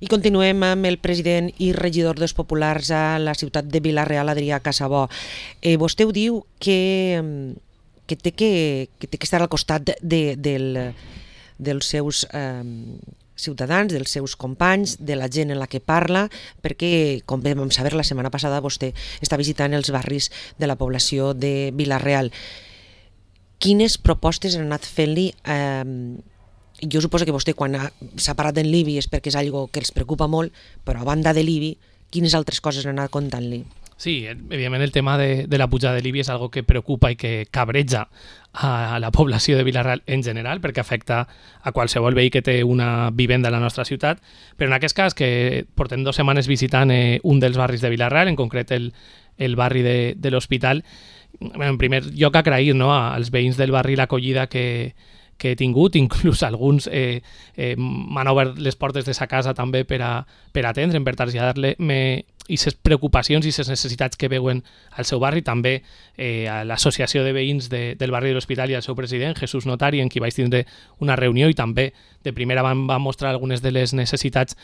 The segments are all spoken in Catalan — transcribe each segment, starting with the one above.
I continuem amb el president i regidor dels Populars a la ciutat de Vila-real, Adrià Casabó. Vostè ho diu que té que estar al costat dels seus ciutadans, dels seus companys, de la gent en la que parla, perquè, com vam saber la setmana passada, vostè està visitant els barris de la població de Vila-real. Quines propostes han anat fent-li? Jo suposo que vostè, quan s'ha parat en l'IBI, és perquè és una cosa que els preocupa molt, però a banda de l'IBI, quines altres coses han anat contant-li? Sí, evidentment el tema de la pujada de l'IBI és algo que preocupa i que cabreja a la població de Vila-real en general, perquè afecta a qualsevol veí que té una vivenda a la nostra ciutat, però en aquest cas, que portem 2 setmanes visitant un dels barris de Vila-real, en concret el barri de l'Hospital, en primer lloc agrair als veïns del barri l'acollida que he tingut, inclús alguns m'han obert les portes de sa casa també per atendre'm, per traslladar-me aquestes preocupacions i aquestes necessitats que veuen al seu barri, també a l'associació de veïns del barri de l'Hospital i al seu president, Jesús Notari, en qui vaig tindre una reunió i també de primera va mostrar algunes de les necessitats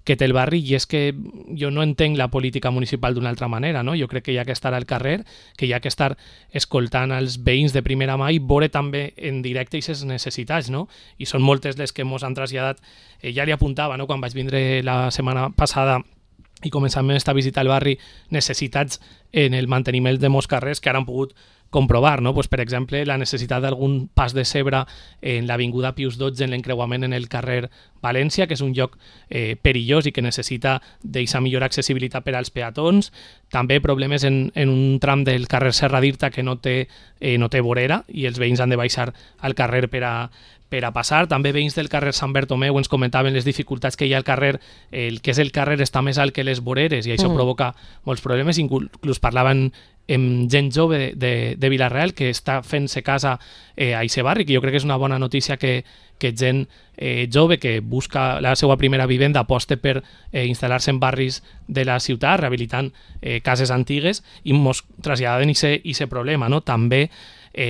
que té el barri, i és que jo no entenc la política municipal d'una altra manera, no? Jo crec que hi ha que estar al carrer, que hi ha que estar escoltant els veïns de primera mà i veure també en directe aquestes necessitats, no? I són moltes les que ens han traslladat. Ja li apuntava, no?, quan vaig vindre la setmana passada i començàvem esta visita al barri, necessitats en el manteniment de molts carrers que ara han pogut comprovar, no? Pues, per exemple, la necessitat d'algun pas de zebra en l'avinguda Pius XII, en l'encreuament en el carrer València, que és un lloc perillós i que necessita d'aquesta millor accessibilitat per als peatons. També problemes en un tram del carrer Serra d'Irta que no té vorera i els veïns han de baixar al carrer per a passar. També veïns del carrer Sant Bertomeu ens comentaven les dificultats que hi ha al carrer. El que és el carrer està més alt que les voreres i això provoca molts problemes. Inclús parlaven amb gent jove de Vila-real que està fent-se casa a aquest barri, que jo crec que és una bona notícia que gent jove que busca la seva primera vivenda aposta per instal·lar-se en barris de la ciutat, rehabilitant cases antigues, i ens traslladen aquest problema, no? També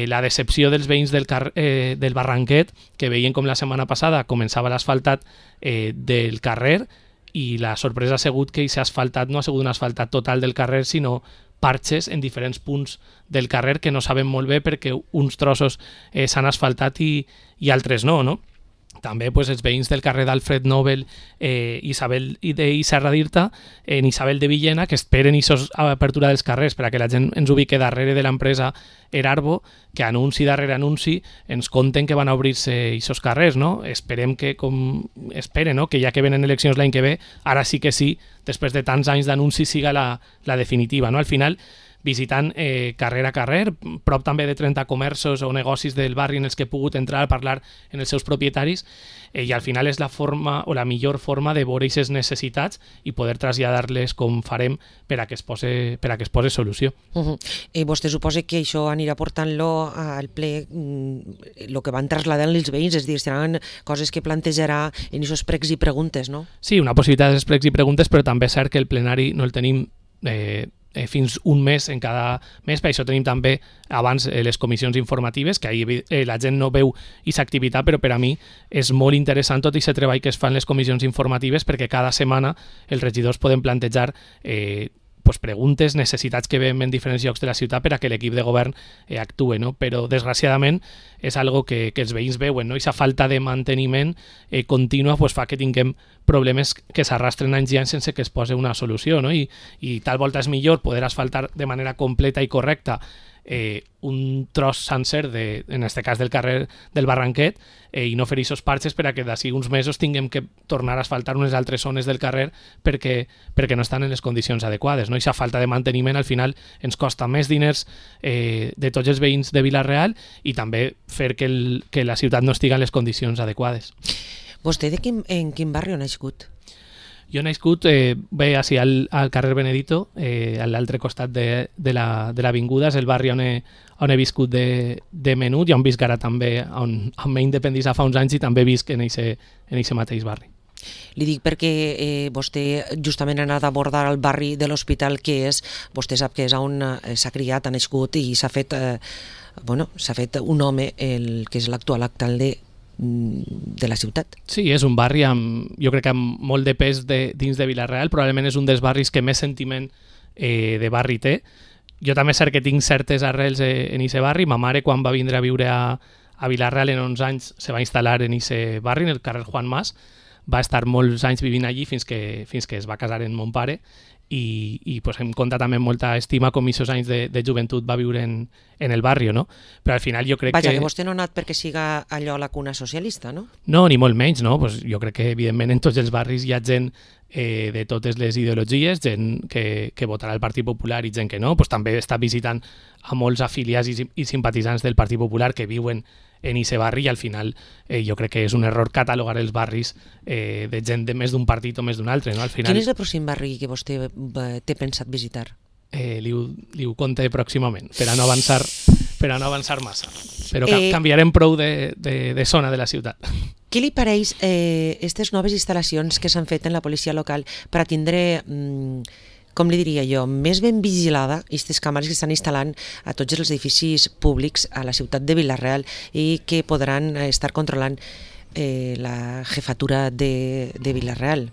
la decepció dels veïns del Barranquet, que veien com la setmana passada començava l'asfaltat del carrer, i la sorpresa ha sigut que aquest asfaltat no ha sigut un asfaltat total del carrer, sinó parxes en diferents punts del carrer que no sabem molt bé perquè uns trossos s'han asfaltat i altres no? També els veïns del carrer d'Alfred Nobel i Serra d'Irta, en Isabel de Villena, que esperen apertura dels carrers per a que la gent ens ubique darrere de l'empresa Erarbo, que anunci darrere anunci ens conten que van a obrir-se aquests carrers, no? Esperem que, que ja que venen eleccions l'any que ve, ara sí que sí, després de tants anys d'anunci, siga la definitiva, no? Al final, visitant carrer a carrer, prop també de 30 comerços o negocis del barri en els que he pogut entrar a parlar en els seus propietaris, i al final és la forma o la millor forma de veure aquestes necessitats i poder traslladar-les com farem per a que es pose solució. Vostè suposa que això anirà portant-lo al ple, el que van traslladant els veïns, és a dir, seran coses que plantejarà en aquests pregs i preguntes, no? Sí, una possibilitat de pregs i preguntes, però també és cert que el plenari no el tenim fins un mes en cada mes. Per això tenim també abans les comissions informatives, que ahir la gent no veu aquesta activitat, però per a mi és molt interessant tot aquest treball que es fa en les comissions informatives, perquè cada setmana els regidors poden plantejar preguntes, necessitats que veiem en diferents llocs de la ciutat per a que l'equip de govern actuï, no? Però desgraciadament és algo que els veïns veuen, no? Aquesta falta de manteniment contínua fa que tinguem problemes que s'arrastren anys i anys sense que es posi una solució, no? I tal volta és millor poder asfaltar de manera completa i correcta un tros sencer, en aquest cas del carrer del Barranquet, i no fer aquests parxes per a que d'ací uns mesos tinguem que tornar a asfaltar unes altres zones del carrer perquè no estan en les condicions adequades, no? I aquesta falta de manteniment al final ens costa més diners de tots els veïns de Vila-real i també fer que la ciutat no estigui en les condicions adequades. Vostè en quin barri ha nascut? Jo he nascut bé així al carrer Benedito, a l'altre costat de l'avinguda, és el barri on he viscut de menut i on visc ara també, on m'he independitzat fa uns anys i també visc en aquest mateix barri. Li dic perquè vostè justament ha anat a abordar el barri de l'Hospital, que és, vostè sap que és on s'ha criat, ha nascut i s'ha fet un home, el que és l'actual alcalde de la ciutat. Sí, és un barri jo crec que amb molt de pes dins de Vila-real, probablement és un dels barris que més sentiment de barri té. Jo també és cert que tinc certes arrels en aquest barri. Ma mare, quan va vindre a viure a Vila-real en 11 anys, se va instal·lar en aquest barri, en el carrer Juan Mas. Va estar molts anys vivint allí fins que es va casar amb mon pare i pues, em compta també molta estima com aquests anys de joventut va viure en el barri, no? Però al final jo crec que vostè no ha anat perquè siga allò la cuna socialista, no? No, ni molt menys, no? Pues jo crec que evidentment en tots els barris hi ha gent de totes les ideologies, gent que votarà el Partit Popular i gent que no. Pues també està visitant a molts afiliats i simpatitzants del Partit Popular que viuen en aquest barri i al final jo crec que és un error catalogar els barris de gent de més d'un partit o més d'un altre. No? Al final, quin és el pròxim barri que vostè té pensat visitar? Li ho conté pròximament, per a no avançar massa. Però canviarem prou de zona de la ciutat. Què li pareix aquestes noves instal·lacions que s'han fet en la policia local per a tindre... com li diria jo, més ben vigilada aquestes càmeres que estan instal·lant a tots els edificis públics a la ciutat de Vila-real i que podran estar controlant la jefatura de Vila-real?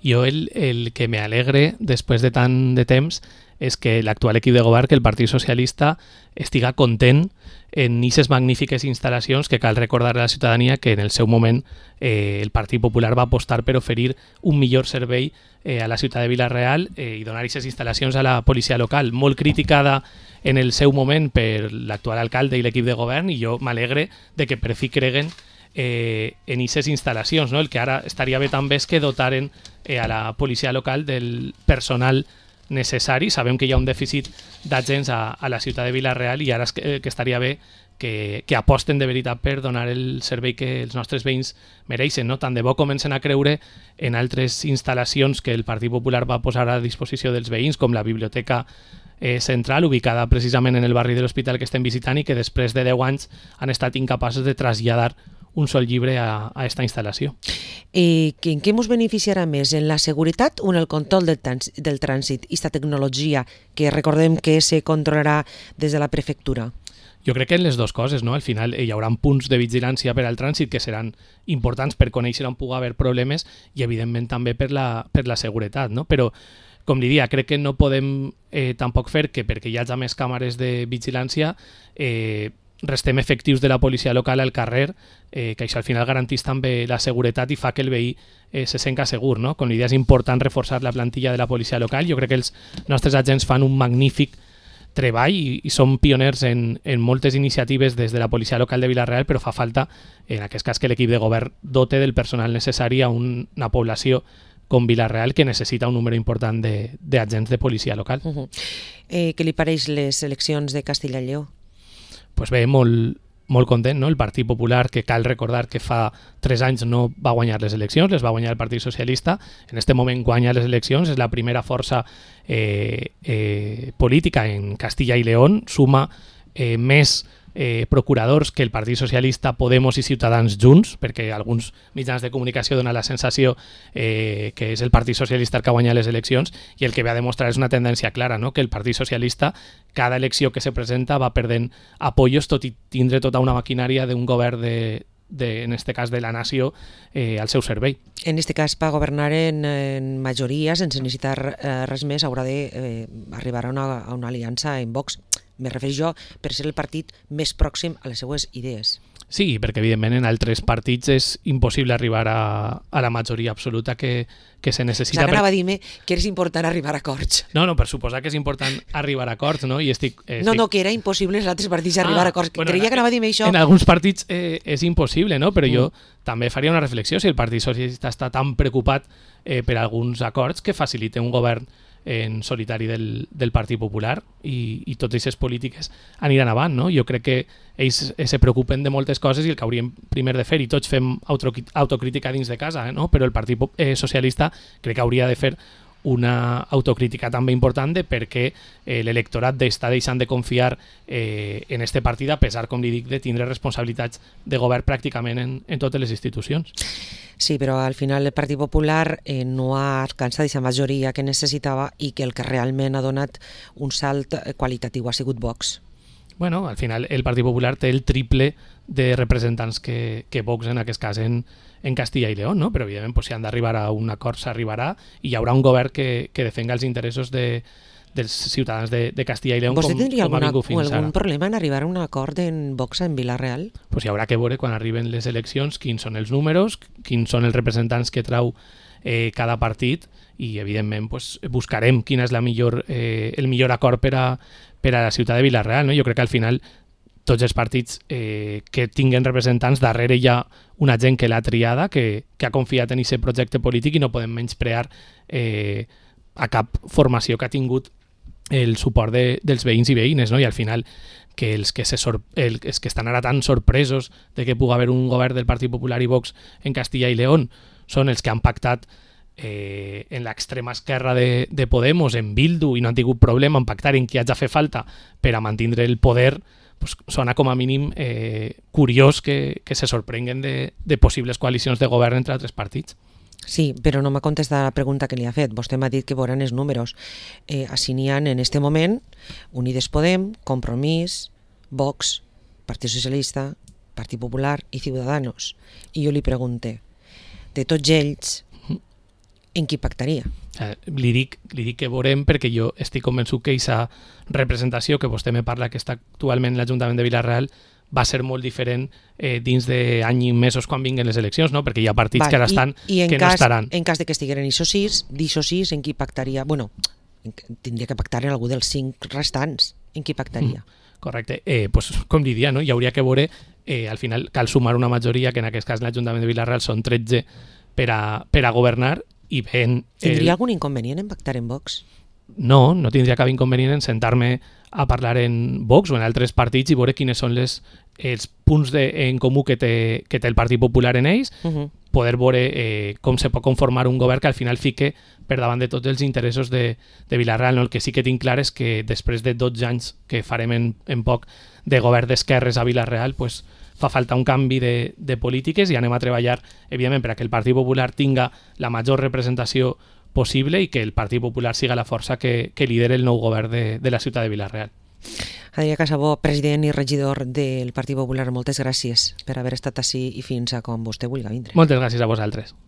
Jo el que me alegre després de tant de temps és que l'actual equip de govern, que el Partit Socialista, estiga content en aquestes magnífiques instal·lacions que cal recordar a la ciutadania que en el seu moment el Partit Popular va apostar per oferir un millor servei a la ciutat de Vila-real i donar aquestes instal·lacions a la policia local, molt criticada en el seu moment per l'actual alcalde i l'equip de govern, i jo m'alegre de que per fi creguen en aquestes instal·lacions. No? El que ara estaria bé també és que dotaren a la policia local del personal necessari. Sabem que hi ha un dèficit d'agents a la ciutat de Vila-real i ara que estaria bé que aposten de veritat per donar el servei que els nostres veïns mereixen. No? Tant de bo comencen a creure en altres instal·lacions que el Partit Popular va posar a disposició dels veïns, com la biblioteca central, ubicada precisament en el barri de l'Hospital que estem visitant i que després de 10 anys han estat incapaços de traslladar un sol llibre a esta instal·lació. En què ens beneficiarà més? En la seguretat o en el control del trànsit? Aquesta tecnologia que recordem que se controlarà des de la prefectura? Jo crec que en les dues coses, no? Al final hi haurà punts de vigilància per al trànsit que seran importants per conèixer on pugui haver problemes i evidentment també per la seguretat, no? Però com li dia, crec que no podem tampoc fer que perquè hi hagi més càmeres de vigilància restem efectius de la policia local al carrer, que això al final garantís també la seguretat i fa que el veí se senta segur. No? Com l'idea és important reforçar la plantilla de la policia local. Jo crec que els nostres agents fan un magnífic treball i són pioners en moltes iniciatives des de la policia local de Vila-real, però fa falta, en aquest cas, que l'equip de govern dote del personal necessari a una població com Vila-real que necessita un número important d'agents de policia local. Què li pareix les eleccions de Castilla i Lleó? Pues bé, molt content, no? El Partit Popular, que cal recordar que fa 3 anys no va guanyar les eleccions, les va guanyar el Partit Socialista, en este moment guanya les eleccions, és la primera força política en Castilla i León, suma més procuradors que el Partit Socialista, Podemos i Ciutadans junts, perquè alguns mitjans de comunicació donen la sensació que és el Partit Socialista el que ha guanyat les eleccions, i el que ve a demostrar és una tendència clara, no? Que el Partit Socialista, cada elecció que se presenta, va perdent apoyos, tot i tindre tota una maquinària d'un govern en este cas de la nació al seu servei. En este cas, per governar en majoria, sense necessitar res més, haurà d'arribar a una aliança en Vox. Me refereixo jo per ser el partit més pròxim a les seues idees. Sí, perquè evidentment en altres partits és impossible arribar a la majoria absoluta que se necessita. Anava a dir-me que és important arribar a acords. No, per suposar que és important arribar a acords, no? No, que era impossible en els altres partits arribar a acords. Creia que anava a dir-me això. En alguns partits és impossible, no? Però jo també faria una reflexió si el Partit Socialista està tan preocupat per alguns acords que facilite un govern en solitari del Partit Popular i totes aquestes polítiques aniran avant, no? Jo crec que ells se preocupen de moltes coses i el que hauríem primer de fer, i tots fem autocrítica dins de casa, no? Però el Partit Socialista crec que hauria de fer una autocrítica també important de per què l'electorat està deixant de confiar en este partit, a pesar, com li dic, de tindre responsabilitats de govern pràcticament en totes les institucions. Sí, però al final el Partit Popular no ha alcançat aquesta majoria que necessitava i que el que realment ha donat un salt qualitatiu ha sigut Vox. Bueno, al final el Partit Popular té el triple de representants que Vox en aquest cas en Castilla i León, no? Però evidentment si han d'arribar a un acord s'arribarà i hi haurà un govern que defenga els interessos dels ciutadans de Castilla i León com tindria algun problema en arribar a un acord en Vox en Vila-real? Pues hi haurà que veure quan arriben les eleccions quins són els números, quins són els representants que trau cada partit i evidentment buscarem quin és el millor acord per a la ciutat de Vila-real, no? Jo crec que al final tots els partits que tinguen representants, darrere hi ha una gent que l'ha triada, que ha confiat en aquest projecte polític i no podem menysprear a cap formació que ha tingut el suport dels veïns i veïnes, no? I al final que els que estan ara tan sorpresos de que pugui haver un govern del Partit Popular i Vox en Castilla i León són els que han pactat en l'extrema esquerra de Podemos, en Bildu, i no han tingut problema en pactar en qui hagi de fer falta per a mantenir el poder, sona com a mínim curiós que se sorprenguen de possibles coalicions de govern entre altres partits. Sí, però no m'ha contestat la pregunta que li ha fet. Vostè m'ha dit que veuran els números. Així n'hi ha en este moment Unides Podem, Compromís, Vox, Partit Socialista, Partit Popular i Ciudadanos. I jo li pregunte, de tots ells, en qui pactaria? Li dic que veurem perquè jo estic convençut que aquesta representació que vostè me parla que està actualment en l'Ajuntament de Vila-real va ser molt diferent dins d'any i mesos quan vinguen les eleccions, no? Perquè hi ha partits que ara estan que no estaran. En cas de que estigueren d'això sis, en qui pactaria? Bueno, tindria que pactar en algú dels 5 restants. En qui pactaria? Correcte. Com diria, no? Hi hauria que veure, al final cal sumar una majoria, que en aquest cas l'Ajuntament de Vila-real són 13 per a governar, i ben... Tindria algun inconvenient en pactar en Vox? No tindria cap inconvenient en sentar-me a parlar en Vox o en altres partits i veure quines són els punts en comú que té el Partit Popular en ells, poder veure com se pot conformar un govern que al final fique per davant de tots els interessos de Vila-real. No? El que sí que tinc clar és que després de 12 anys que farem en poc de govern d'esquerres a Vila-real, fa falta un canvi de polítiques i anem a treballar, evidentment, perquè el Partit Popular tinga la major representació possible i que el Partit Popular siga la força que lideri el nou govern de la ciutat de Vila-real. Adrià Casabó, president i regidor del Partit Popular, moltes gràcies per haver estat ací i fins a quan vostè vulgui vindre. Moltes gràcies a vosaltres.